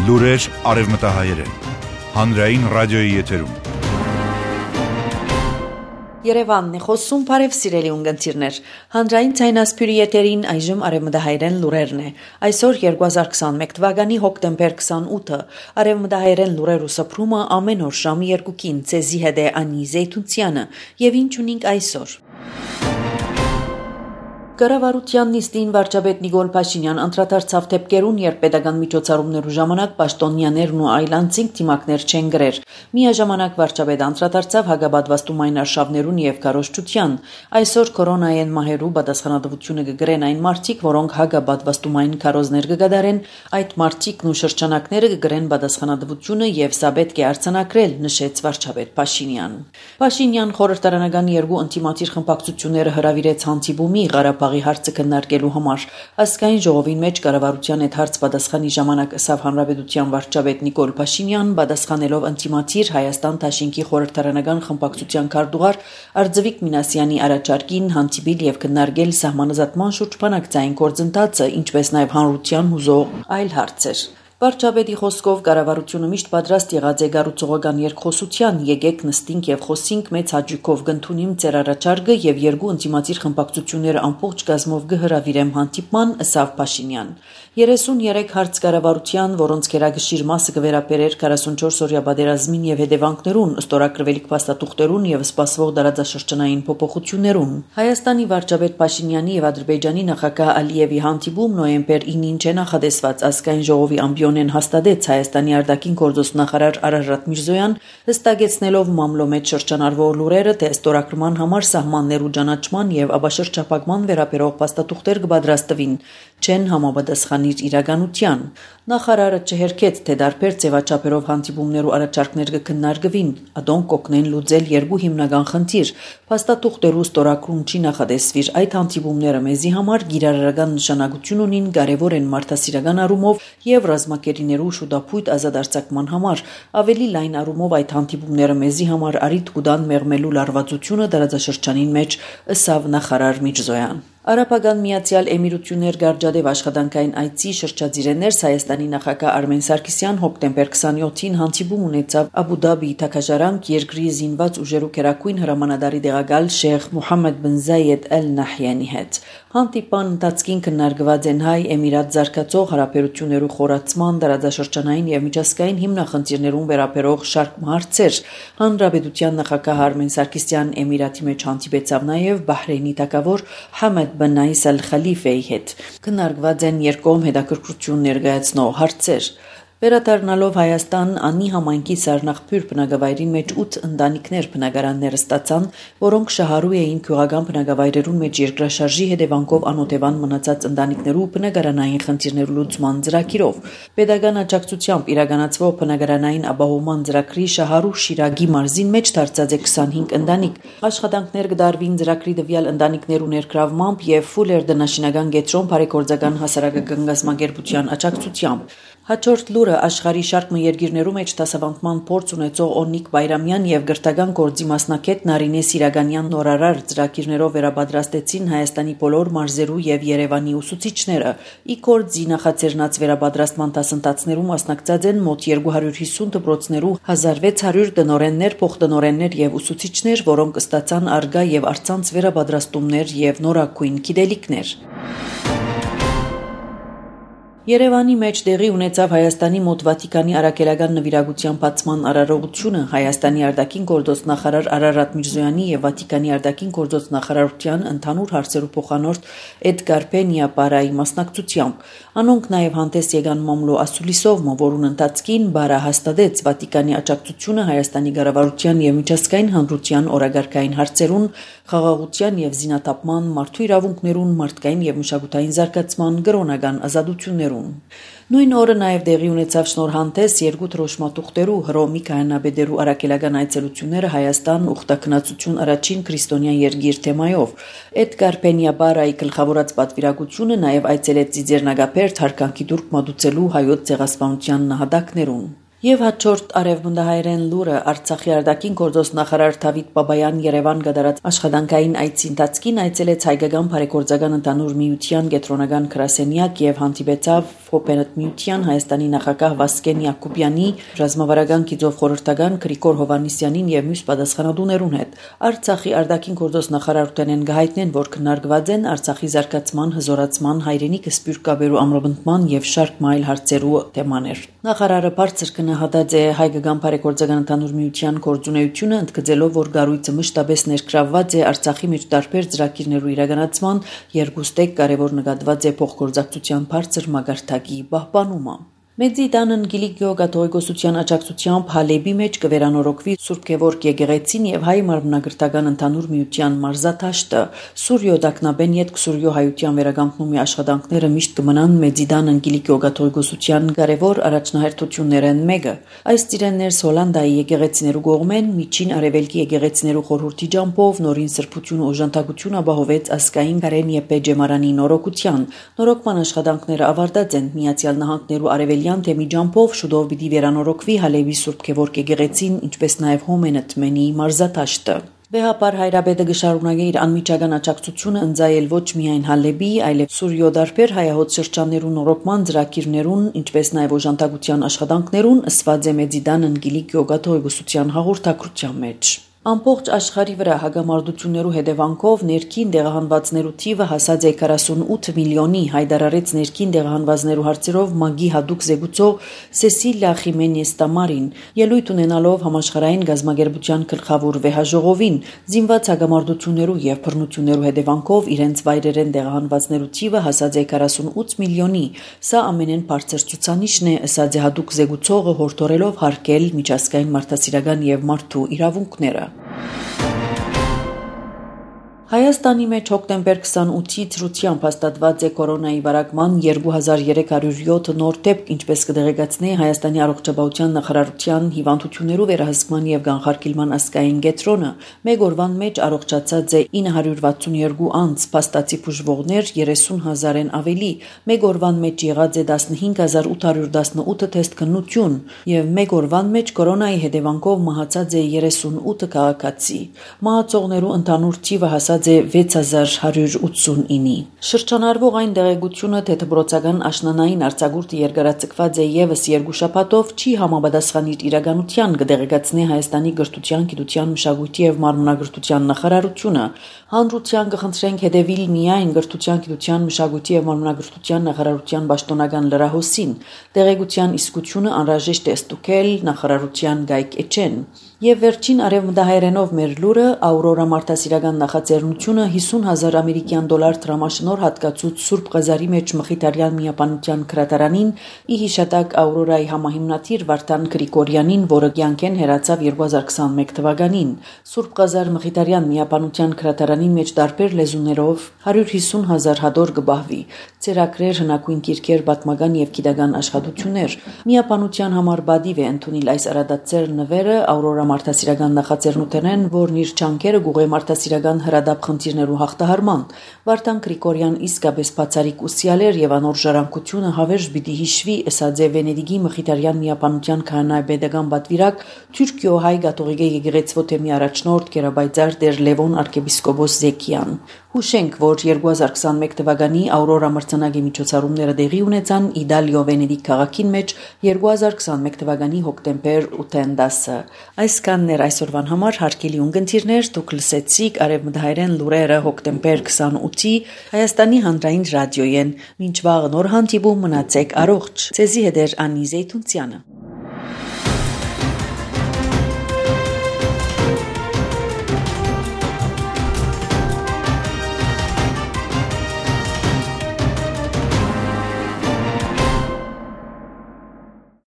Լուրեր արևմտահայերեն։ Հանրային ռադիոյի եթերում։ Երևանն է խոսում, բարև սիրելի ունգընտիրներ։ Հանրային ցայնասփյուրի եթերին այժմ արևմտահայերեն լուրերն է։ Այսօր 2021 թվականի հոկտեմբեր 28-ը արևմտահայերեն լուրեր ու սփռումը ամեն օր ժամի 2-ին ցեզի հետ է Անի Զեյթունցյանը եւ ինչ ունենք այսօր։ Կառավարության նիստին վարչապետ Նիկոլ Փաշինյան անդրադարձավ դեպքերուն, երբ պետական միջոցառումներու ժամանակ պաշտոնյաներն ու այլ անձինք դիմակներ չեն գրեր։ Միաժամանակ վարչապետը անդրադարձավ հագաբատվաստումային արշավներուն եւ քարոզչության։ Այսօր կորոնայեն մահերու պատասխանատվությունը կգրեն այն մարդիկ, որոնք հագաբատվաստումային քարոզներ կգադարեն, այդ մարդիկն ու շրջանակները կգրեն պատասխանատվությունը եւ սա պետք է արձանագրել, նշեց վարչապետ Փաշինյան։ Փաշինյան խորհրդարանական երկու ինտիմատիր խմբակցությունները հրավիրեց հանդիպումի Ղարաբաղի հարցը քննարկելու համար։ Ազգային ժողովին մեջ կառավարության այդ հարց պատասխանի ժամանակ ըսավ հանրապետության վարչապետ Նիկոլ Փաշինյան, պատասխանելով ինտիմատիր Հայաստան Դաշինքի խորհրդարանական խմբակցության քարտուղար Արձվիկ Մինասյանի առաջարկին հանդիպել եւ քննարկել սահմանազատման շուրջ բանակցային գործընթացը, ինչպես նաեւ հանրության հուզող այլ հարցեր։ Վարչապետի խոսքով կառավարությունը միշտ պատրաստ եղած է գառուցողական երկխոսության, եկեք նստենք եւ խոսենք մեծ հաճույքով կընդունիմ ձեր առաջարկը եւ երկու ինտիմատիր խմբակցությունները ամբողջ կազմով կհրավիրեմ հանդիպման, ըսավ Փաշինյան։ 33 հարց կառավարության, որոնց գերագշիր մասը կվերապերեր 44-օրյա պատերազմին եւ հետևանքներուն, ստորագրվելիք փաստաթուղթերուն եւ սպասվող դարաձաշրջանային փոփոխություններուն։ Հայաստանի վարչապետ Փաշինյանի եւ Ադրբեջանի նախագահ Ալիևի հանդիպում նոյեմբեր 9-ին չէ նախադեсված ազգային ժողովի ամբիոնեն հաստատեց Հայաստանի արտաքին գործոստ նախարար Արարատ Միրզոյան, հստակեցնելով մամլո մեջ շրջանառվող լուրերը, թե ստորագրման համար սահմաններու ճանաչման եւ աբաշրջափակման վերաբերող փաստաթուղթեր կպատրաստվին, չեն համապատասխանիր իրականության։ Նախարարը չհերքեց, թե դարբեր ձևաչափերով հանդիպումներու առաջարկներ կքննարկվին, ադոնք կօգնեն լուծել երկու հիմնական խնդիր։ Փաստաթուղթերու ստորագրում չի նախադեсվիր, այդ հանդիպումները մեզի համար գիրառական նշանակություն ունին, կարևոր են մարդասիրական առումով եւ ռազմակերիներու շուտապույտ ազատ արձակման համար։ Ավելի լայն առումով այդ հանդիպումները մեզի համար արիթ կուտան մեղմելու լարվածությունը դարաձաշրջանին մեջ, ըսավ նախարար Միրզոյան։ Արաբական Միացյալ Էմիրություններ գարջադեվ աշխատանքային այցի շրջադիրներս Հայաստանի նախագահ Արմեն Սարգսյան հոկտեմբեր 27-ին հանդիպում ունեցավ Աբու Դաբի Թաքաժարանք երկրի զինված ուժերու քերակույն հրամանատարի դեղակալ Շեյխ Մուհամմեդ բն Զայեդ Ալ Նահյանի հետ։ Հանդիպան ընթացքին քննարկված են հայ Էմիրատ զարգացող հարաբերություններու խորացման, դարաձաշրջանային եւ միջազգային հիմնախնդիրներուն վերաբերող շարք հարցեր։ Հանրապետության նախագահ Արմեն Սարգսյան Էմիրատի մեջ հանդիպեցավ նաեւ Բահրեյնի թագավոր Համեդ բն Նաիս Ալ Խալիֆեի հետ։ Քննարկված են երկկողմ հետաքրքրություն ներկայացնող հարցեր։ Վերադառնալով Հայաստան, Անի համայնքի Սառնախբյուր բնակավայրի մեջ 8 ընտանիքներ բնակարաններ ստացան, որոնք շահառու էին քյուղական բնակավայրերուն մեջ երկրաշարժի հետևանքով անօթևան մնացած ընտանիքներու բնակարանային խնդիրներու լուծման ծրագիրով։ Պետական աջակցությամբ իրականացվող բնակարանային ապահովման ծրագրի շահառու Շիրագի մարզին մեջ դարձած է 25 ընտանիք։ Աշխատանքներ կդարվին ծրագրի տվյալ ընտանիքներու ներգրավմամբ եւ Ֆուլեր դնաշինական կենտրոն բարեգործական հասարակական գազམ་ագերբության աջակցությամբ։ Հաջորդ լուրը աշխարհի շարք երկիրներու մեջ դասավանդման փորձ ունեցող Օնիկ Բայրամյան եւ գրթական գործի մասնակետ Նարինե Սիրագանյան նորարար ծրագիրներով վերապատրաստեցին Հայաստանի բոլոր մարզերու եւ Երևանի ուսուցիչները։ Ի գործի նախաձեռնած վերապատրաստման դասընթացներում մասնակցած են մոտ 250 դպրոցներու 1600 տնօրեններ, փոխտնօրեններ եւ ուսուցիչներ, որոնք ստացան արգա եւ արցանց վերապատրաստումներ եւ նորակույն գիտելիքներ։ Երևանի մեջ տեղի ունեցավ Հայաստանի մոտ Վատիկանի արաքելական նվիրագության բացման արարողությունը Հայաստանի արտաքին գործոստ նախարար Արարատ Միրզոյանի եւ Վատիկանի արտաքին գործոստ նախարարության ընդհանուր հարցերու փոխանորդ Էդգար Պենիա Պարայի մասնակցությամբ։ Անոնք նաեւ հանդես եկան մամլո ասուլիսով, որուն ընթացքին Բարա հաստատեց Վատիկանի աջակցությունը Հայաստանի կառավարության եւ միջազգային հանրության օրագարկային հարցերուն, խաղաղության եւ զինաթափման, մարդու իրավունքներուն, մարդկային եւ մշակութային զարգացման, կրոնական ազատություններուն։ Նույն օրը նաև տեղի ունեցավ շնորհանդես երկու թրոշմատուղտերու Հռոմի քահանաբեդերու արաքելական այցելությունները Հայաստան ուխտակնացություն առաջին քրիստոնյա երկիր թեմայով։ Էդգար Պենիա Պարայի գլխավորած պատվիրակությունը նաև այցելեց Ծիծեռնագապերտ հարկանքի դուրք մատուցելու հայոց ցեղասպանության նահատակներուն։ Եվ հաջորդ արևմտահայերեն լուրը Արցախի արտաքին գործոս նախարար Դավիթ Բաբայան Երևան գդարած աշխատանքային այցի ընթացքին այցելեց Հայկական բարեգործական ընդհանուր միության կենտրոնական գրասենյակ եւ հանդիպեցավ Հոպերտ միության Հայաստանի նախագահ Վասկեն Յակոբյանի, ռազմավարական գիծով խորհրդական Գրիգոր Հովհաննիսյանին եւ մյուս պատասխանատուներուն հետ։ Արցախի արտաքին գործոս նախարարութենեն գահիտնեն, որ քննարկված են Արցախի զարգացման, հզորացման, հայրենիքը սպյուրկաբերու ամրապնդման եւ շարք այլ հարցերու թեմաներ։ Նախարարը բարձր գնահատած է Հայկական բարեգործական ընդհանուր միության գործունեությունը, ընդգծելով, որ գառույցը մշտապես ներգրավված է Արցախի մեջ տարբեր ծրագիրներու իրականացման, երկուստեք կարևոր նկատված է փոխգործակցության բարձր մակարդակի պահպանումը։ Մեծիդանն Գիլիգիո կաթողիկոսության աջակցությամբ Հալեբի մեջ կվերանորոգվի Սուրբ Գևորգ եկեղեցին եւ հայ մարմնագրթական ընդհանուր միության մարզաթաշտը։ Սուրյո Դակնաբեն յետ Սուրյո հայության վերականգնումի աշխատանքները միշտ կմնան Մեծիդանն Գիլիգիո կաթողիկոսության կարևոր առաջնահերթություններն մեկը։ Այս ծիրեններ Հոլանդիայի եկեղեցիներու կողմեն միջին արևելքի եկեղեցիներու խորհրդի ջամփով նորին սրբություն ու օժանդակություն ապահովեց ասկային Կարեն Եփե Ջեմարանի նորոգության։ Նորոգման աշխատանքները ավարտած են Միացյալ Նահանգներու արևելքի թեմի ջամփով շուտով պիտի վերանորոգվի Հալեբի Սուրբ Գևորգ եկեղեցին, ինչպես նաև Հոմենտմենի մարզաթաշտը։ Վեհապար Հայրաբեդը գշարունակի իր անմիջական աջակցությունը ընձայել ոչ միայն Հալեբի, այլև Սուրյո դարբեր հայահոտ շրջաններու նորոգման ծրագիրներուն, ինչպես նաև օժանդակության աշխատանքներուն ըսված է Մեծիդանն Գիլիգիո կաթողիկոսության հաղորդակցության մեջ։ Ամբողջ աշխարհի վրա հագամարտություններու հետևանքով ներքին դեղահանվածներու թիվը հասած է 48 միլիոնի, հայտարարեց ներքին դեղահանվածներու հարցերով ՄԱԳ-ի հատուկ զեկուցող Սեսիլիա Խիմենես Տամարին, ելույթ ունենալով համաշխարհային գազագերբության գլխավոր վեհաժողովին, զինված հագամարտություններու եւ բռնություններու հետևանքով իրենց վայրերեն դեղահանվածներու թիվը հասած է 48 միլիոնի։ Սա ամենեն բարձր ցուցանիշն է, ըստ հատուկ զեկուցողը հորդորելով հարգել միջազգային մարդասիրական եւ մարդու իրավունքները։ Հայաստանի մեջ հոկտեմբեր 28-ի ցրությամբ հաստատված է կորոնայի վարակման 2307 նոր դեպք, ինչպես կդեղեկացնի Հայաստանի առողջապահության նախարարության հիվանդություններու վերահսկման եւ կանխարգելման ազգային կենտրոնը, մեկ օրվան մեջ առողջացած է 962 անձ, փաստացի բուժվողներ 30,000-ն ավելի, մեկ օրվան մեջ եղած է 15818 թեստ քննություն եւ մեկ օրվան մեջ կորոնայի հետևանքով մահացած է 38 քաղաքացի։ Մահացողներու ընդհանուր թիվը հասած 6189-ի։ Շրջանառվող այն դեղեցությունը, թե դպրոցական աշնանային արձակուրդը երկարաձգված է եւս 2 շաբաթով, չի համապատասխանիր իրականության, կդեղեկացնի Հայաստանի գրթության, գիտության, մշակույթի եւ մարմնագրթության նախարարությունը։ Հանրության կխնդրենք հետևել միայն գրթության, գիտության, մշակույթի եւ մարմնագրթության նախարարության պաշտոնական լրահոսին։ Դեղեցության իսկությունը անհրաժեշտ է ստուգել նախարարության գայք էջեն։ Եվ վերջին արևմտահայերենով մեր լուրը Աուրորա մարդասիրական նախաձեռնությունը 50,000 ամերիկյան դոլար դրամաշնոր հատկացուց Սուրբ Ղազարի մեջ Մխիթարյան միապանության քրատարանին ի հիշատակ Աուրորայի համահիմնադիր Վարդան Գրիգորյանին, որը կյանքեն հեռացավ 2021 թվականին։ Սուրբ Ղազար Մխիթարյան միապանության քրատարանի մեջ տարբեր լեզուներով 150,000 հադոր կբահվի։ Ծերագրեր, հնագույն գիրքեր, պատմական եւ գիտական աշխատություններ։ Միապանության համար բադիվ է ընդունել այս արադացեր նվերը Աուրորա մարդասիրական նախաձեռնութենեն, որն իր չանկերը գուղե մարդասիրական հրադապ խնդիրներու հաղթահարման։ Վարդան Գրիգորյան իսկապես բացարիք ուսյալ էր եւ անոր ժառանգությունը հավերժ պիտի հիշվի, ըսած է Վենեդիգի Մխիթարյան միապանության քահանայապետական պատվիրակ Թուրքիո հայ կաթողիկե եկեղեցվո թեմի առաջնորդ Գերաբայձար Տեր Լևոն arczepiskopos Զեկյան։ Հուշենք, որ 2021 թվականի Աուրորա մրցանակի միջոցառումները տեղի ունեցան Իտալիո Վենեդիկ քաղաքին մեջ 2021 թվականի հոկտեմբեր 8-10-ը։ Այսքանն էր այսօրվան համար հարգելի ունկնդիրներ, դուք լսեցիք արևմտահայերեն լուրերը հոկտեմբեր 28-ի Հայաստանի հանրային ռադիոյեն։ Մինչ վաղ նոր հանդիպում, մնացեք առողջ։ Ցեզի հետ էր Անի Զեյթունցյանը։